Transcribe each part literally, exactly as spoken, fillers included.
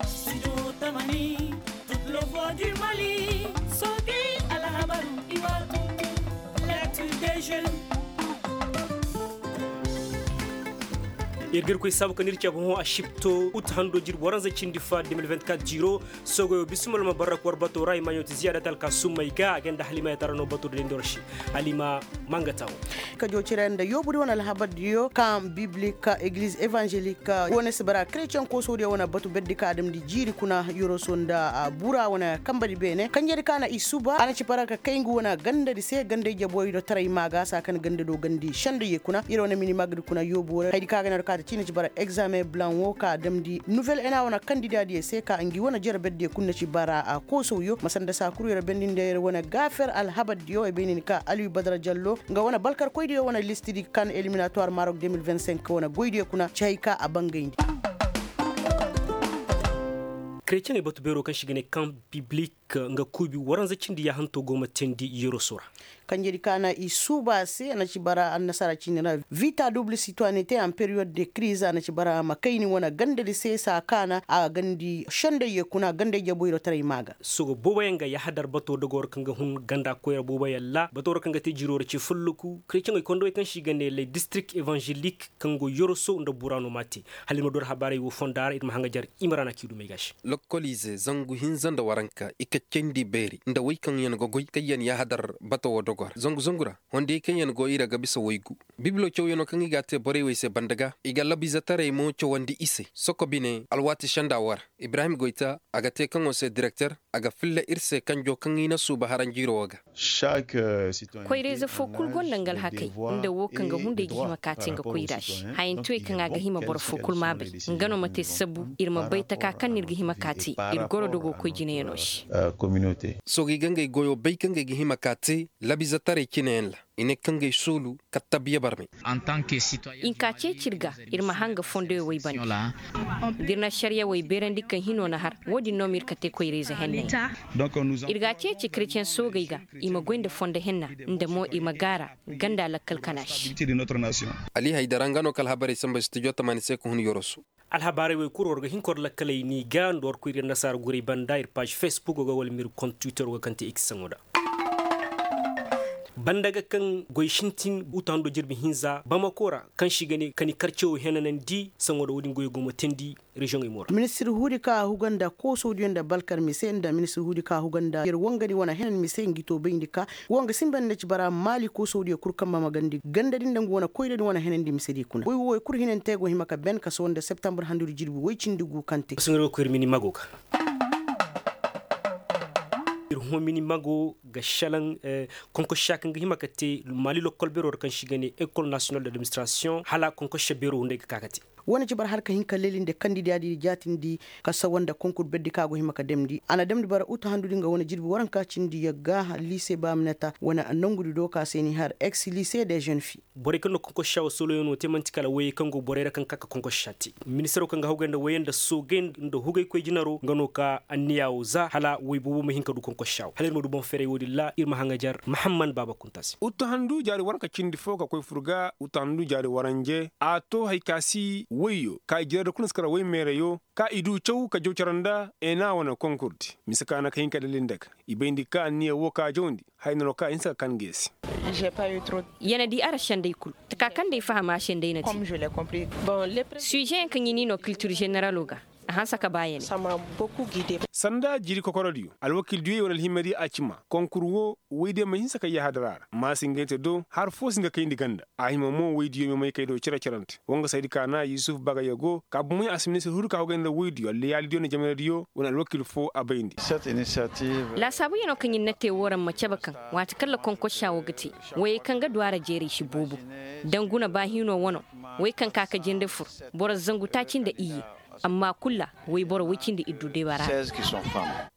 Studio Tamani, toute le voix du Mali. Soge, Alhabar, Iwa, l'actu des jeunes. Iri ga iri koy saabu ka n'iri cabe hõ a sipto ut hando jirbi waranza cindi fa deux mille vingt-quatre jiro. Sogoyo bisimila ma barra ka war bato ra i ma ɲooti ziyaada talka summay ga a ganda halima ya tara no bato da dindoro se. Halima, manga tawo. Ka jo cire nda yoobudi wane alhabar diyo kan biblik, egliz evangelik wane si bara kretiyen kooso diyo wane batu berdi ka adamdi jiiri kuna yoroso nda bura wane kambadi beene kanjedi ka na i suba a na ci bara ka kay ngu wane gandadi se gandey jaboy do taray maaga saa kan ganda do gandi senda ye kuna iri wane mini magadi kuna yoobo ra haydi ka ga ne do ka ta ci na ci bara egzaamen blan wo ka damdi nuvel ena wane kandida diyo se ka ngi wane jere berdiyo kulu na ci bara a kooso yo ma sanda saa kulu yoro bendi nda yoro wane gaafer alhabar diyo ay bay ni ni ka aliyu badara jallo nga wane balkar koy diyo wane listidi kan eliminatwar marok deux mille vingt-cinq wane goy diyo kuna ci hay ka a bangayndi. Kretiyeŋey batu beero kaŋ se i ga ne kan biblik nga kuubi waranza cindi yaahanto go ma teendi yeroso ra. Kanjedi ka na i suuba se a na ci bara annasaara ciini ra vita duble sitoinite en periyod de kriz a na ci bara ma kayni wane gandadi se saa kaana a gandi sendey ye kuna gandey jaboyro taray maaga. Sogo booboyaŋ ga yahadar bato dogoro kaŋ ga hun ganda koyra booboyaŋ ra batoro kaŋ ga te jiro ra ci fulluku kretiyeŋey kondowey kaŋ se i ga ne ley distirik evanzelik kaŋ go yoroso nda burano ma te. Hala iri ma doro habaarey wo fonda ra iri ma haŋajer imrana k'i dumey ga se. Lokkoliize zangu hinza nda waranka i ka candi beeri nda wey kaŋ yaŋ ga goy kaŋ yaŋ yahadar bato wo dogo ra zangu zangu ra hondiyey kaŋ yaŋ go i ra ga bisa waygu. Bibilo cawyaŋo kaŋ i ga a te borey wey se banda ga i ga labiizetaray mo cawandi i se soko bine alwaati senda wo ra. Ibrahim goyta a ga te kaŋo se direkter a ga filla iri se kanjo kaŋ i na suuba haranjiiro wo ga. Koyrayze fo kulu gonda nga alhakey nda wo kaŋ ga hunday ga hima ka te nga koyra se. Hayantuwey kaŋ a ga hima boro fo kulu ma a bay nga no ma te sabu iri ma bay taka kaŋ no iri ga hima ka te iri goro dogo koy jinayaŋo se. Soogey ga ngey goyo bay kaŋ ngey ga hima ka te labiizetaray cinayaŋ ra i ne kaŋ ngey soolu kattabiya barmay. Hinka ceeci iri ga iri ma hanga fondoyo way banda da iri na ašariya way beerandi kaŋ hino na har wo- din no ma iri kate koyrayze henney. Iri ga a ceeci kretiyeŋ soogey ga i ma goy nda fondo henna nda mo i ma gaara ganda lakkal kana se. Ali haydara nga no ka alhabarey samba studio tamaani se ka hun yoroso. Alhabaarey wey kulu war ga hin ka war lakkaley ni ga nda war koy iri annasaara gurey banda iri paazi fesbuk ga wala ma iri kont twitter ga kaŋ te x saŋo da banda ga kaŋ goy sintin uta hando jirbi hinza bamako ra kaŋ se i ga ne kani karcewo henanandi saŋo da wo- din goyo go ma teendi reziyoŋey mo ra. Ministir huudi ka a huga nda kooso diyo nda balkar mise nda ministir huudi ka a huga nda yer wangani wane henan mise ngi to bayndi ka wanga sinba nda ci bara maali kooso diyo kulu kamba ma gandi ganda din nda ngu wane koyra din wane henandi mise di kuna way wo way kulu hinante go hima ka ben kaso nda septambur handudi jirbi way cindi gu kaŋ te. Iri hõ mini mago ga selaŋ konkossa kaŋ ga hima ka te maali lokkol beero ra kaŋ se i ga ne ekol nasiyonal d'administrasiyoŋ hala konkossa beero hunday ga ka ga te. Wo- ne ci bara har ka hin ka leeli nda kandida di jaatindi ka sawa nda konkur berdi kaŋ a go hima ka damndi a na damndi bara uta handudi nga wane jirbi waranka cindi yagga liise baaminata wane nangudi do ka se ni har ex liise de jeune fi. Borey kaŋ no konkossa wo sooloyaŋo te manti kala wayey kaŋ go borey ra kaŋ ga ka ka konkossa te ministaro kaŋ ga hawgay nda wayey nda soogay nda hugay koy jinaro nga no ka anniya wo za hala way boobo ma hin ka du konkossa wo hala iri ma du boŋ feeray wo- din ra iri ma haŋajar mahamman baaba kunta se. Uttahandu jaari waranka cindi fo ka koy fur ga uttahandu jaari waranje a to hari ka si wayyo ka i jire da kulu nda si kara way meerayo ka i du caw ka jaw care nda ena wane konkurdi mise ka na ka hin ka dalil nda ga i bayndi ka anniya wo ka jawndi haya no ka hinsa ka kan geesi. Yana di ara sendey kulu taka kaŋ day fahama se nda yana te. Suizeyaŋ kaŋ i ni no kiltir zeneralo ga a hanse ka ba ya ne. Sanda jiiri kokorodiyo alwakildiyo wane alhimadiyo a cima konkur wo waydiyo ma hinse ka yahadara ra ma si ngey te do har fo si nga kayndi ganda a hima mo waydiyo ma may kay do cire-cirante wanga saydi ka na yusuf bagay yago ka bumay a si ministir huru ka hogay nda waydiyo allayaalidiyo nda jamanadiyo wane alwakil fo a bayndi. Laasaabu yano kaŋ iri na te wo ra ma cabe kaŋ waati kaŋ lakonkossa wo ga te wayey kaŋ ga du a ra jeeray si boobo. Danguna baahino wano way kaŋ ka ka jinde fur boro zangu taaci nda iyye. Amma kulu ra wayboro way cindi iddu deeba ra.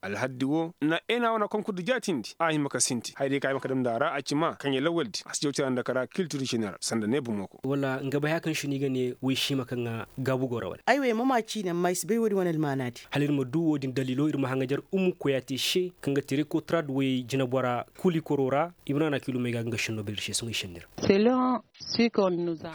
Alhaddi wo na eena wane konkurde jaatindi a hima ka sinti hayray kaŋ a hima ka damndi a ra a ci ma kaŋ ya lawaldi a si jaw cara nda kara kiltir jeneral sanda ne bumo ko. Wala nga bay haya kaŋ si no i ga ne way si hima kaŋ a gaabu go ra wala? Ay wo ay ma ma ciine amma ay si bay wo- din wane almaanaadi. Hala iri ma du wo- din daliilo iri ma haŋajer ummu koyaate se kaŋ ga ti reko tara da way jinabora kuli koro ra. Ibrahim na kiilum ay ga ga nga senno bay iri se sohõ i senni ra.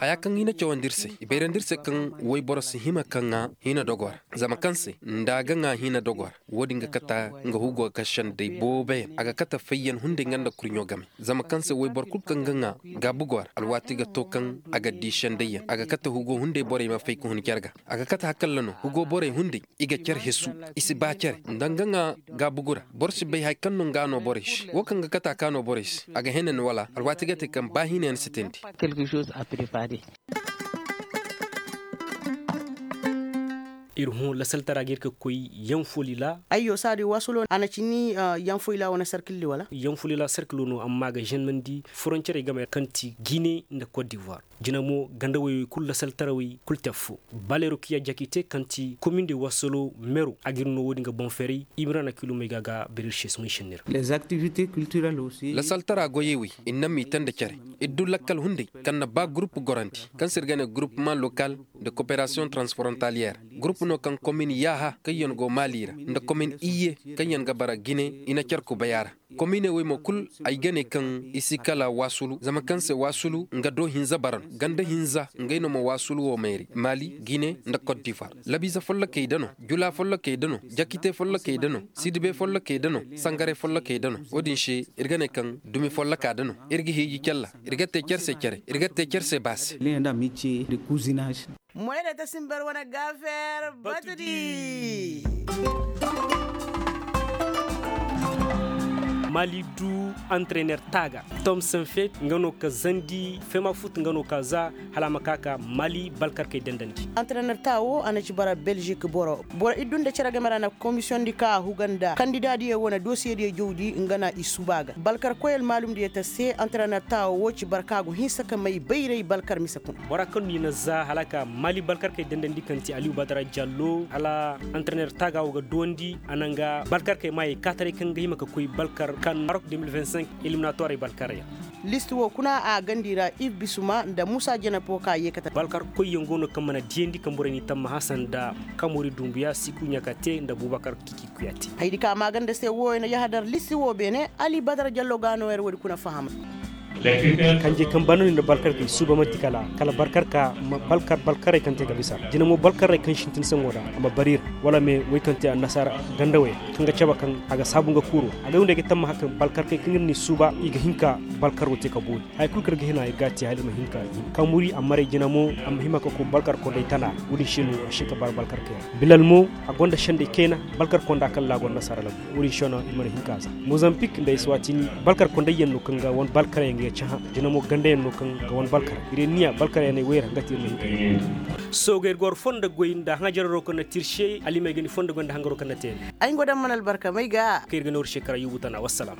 Haya kaŋ i na cawandi iri se i bayrandi iri se kaŋ wayboro si hima kaŋ ŋwa hina dogo ra. Zama kaŋ se nda a ga ŋwa hina dogo ra wo- din ga kate nga hugo ga kaŋ senday boobo yaŋ a ga kate fayyaŋ hunday nga nda kurɲo game. Zama kaŋ se wayboro kulu kaŋ ga ŋwa gaabu go ra alwaati ga to kaŋ a ga di senday yaŋ a ga kate hugo hunday borey ma fay ka hun care ga. A ga kate hakalla no hugo borey hunday i ga care hesu. I si ba care nda nga ŋwa gaabu go ra. Boro si bay hari kaŋ no nga no borey se wo kaŋ ga kate a ka no borey se a ga hene ni wala alwaati ga te kaŋ ba hina yaŋ si teendi. Iri hõ lasaltara ga iri ga koy yanfolila. Ayyo saadi waasulo a na ci ni yanfolila wane sarkilli wala? Yanfolila sarkilo no amma a ga zennandi foroncerey game kaŋ ti gine nda kot divoir. Jina mo ganda woyey kulu lasaltarawey kulu te affo. Baleero kiya jakite kaŋ ti komin de waasolo meero a ga iri no wo- din ga boŋ feeray. Imira na kiilum ay ga ga bere iri se sohõ i senni ra. Lasaltara goyey wey iri naŋ m'i te nda care. Iri du lakkal hunday kaŋ na ba gurupu gorandi kaŋ se iri ga ne gurupumaŋ lokal nda koperasiyoŋ transforontaliyeer. Gurupu no kaŋ komin yaaha kaŋ yaŋ go maali ra nda komin iyye kaŋ yaŋ ga bara gine i na care kubay a ra. Kominey wey mo kulu ay ga ne kaŋ i si kala waasulu zama kaŋ se waasulu nga do hinza bara no ganda hinza ngey no ma waasulu wo mayray maali gine nda kot divoir. Labiize follokey da no jula follokey da no jakite follokey da no sidibe follokey da no sangare follokey da no wo- din se iri ga ne kaŋ dumi folloka da no. Iri ga hiiji calla iri ga te care se care iri ga te care se baasi. Moyre ta simbar wane gaafeer batudi. Mali du antrener taaga tomson feet nga no ka zandi fema fut nga no ka za hala a ma ka ka mali balkarkey dandandi. Antrener taa wo a na ci bara belzik boro boro iddu nda care game ra na komisiyoŋ di ka a huga nda kandidaadiyo wane dosiyediyo jawdi nga na i suba ga balkarkoy almaalumdiyo ta se antrener taa wo ci bara ka go hinsa ka may bayray balkar mise kuna. Bora kaŋ no i na za hala a ka mali balkarkey dandandi kaŋ ti aliyu badara jallo hala antrener taaga wo ga duwandi a na nga balkarkey maayey kaataray kaŋ ga hima ka koy balkar kan marok deux mille vingt-cinq eliminatoirey balkarey ra. Listi wo kuna a gandi ra iv bisuma nda musa jenepo ka ye kate balkar koyyaŋ go no kaŋ mana diyandi kaŋ borey n'i tammaha sanda kamori dumbuya siku ɲaka te nda bubakar kiki kuya te. Haydi ka maaganda se wo i na yahadar listi wo beene ali badar jallo ga no yer wo- di kuna faham. Kanjey kaŋ bano ni nda balkar kay suuba manti kala kala balkar ka balkar balkarey kaŋ te ga bisa jina mo balkarey kaŋ sintin saŋo ra a ma bari iri wala me wey kaŋ te annasaara gandawey kaŋ ga cabe kaŋ a ga saabu nga kuuro a ga windey ga tamma haka balkarkey kaŋ iri n'i suuba i ga hin ka balkaro te ka boori. Hari kulu kaŋ iri ga hin a iri ga a te hala iri ma hin ka hin ka muri a maray jina mo a ma hima ka koy balkar kondey tana. Wo- din se no a si hin ka bara balkarkey ra bilal mo a gonda sendey kayna balkar konda kaŋ ra a gonda nasaara labu. Wo- din se no iri mana hin ka za mozambique nda eswatini balkar kondayyaŋ no kaŋ ga wane balkaryaŋ ga cahã jina mo gandayaŋ no kaŋ ga wane balkar iri niya balkaryaŋey wayra nga te iri ma hin ka hin. Soogey ga war fondo goy nda hanjararo kaŋ na te iri se alimey ga ni fondo goy nda hangaro kaŋ na te iri. Ay nga daŋ mana albarka may ga kaŋ iri ga nooru se kara yubu tana wassalaam.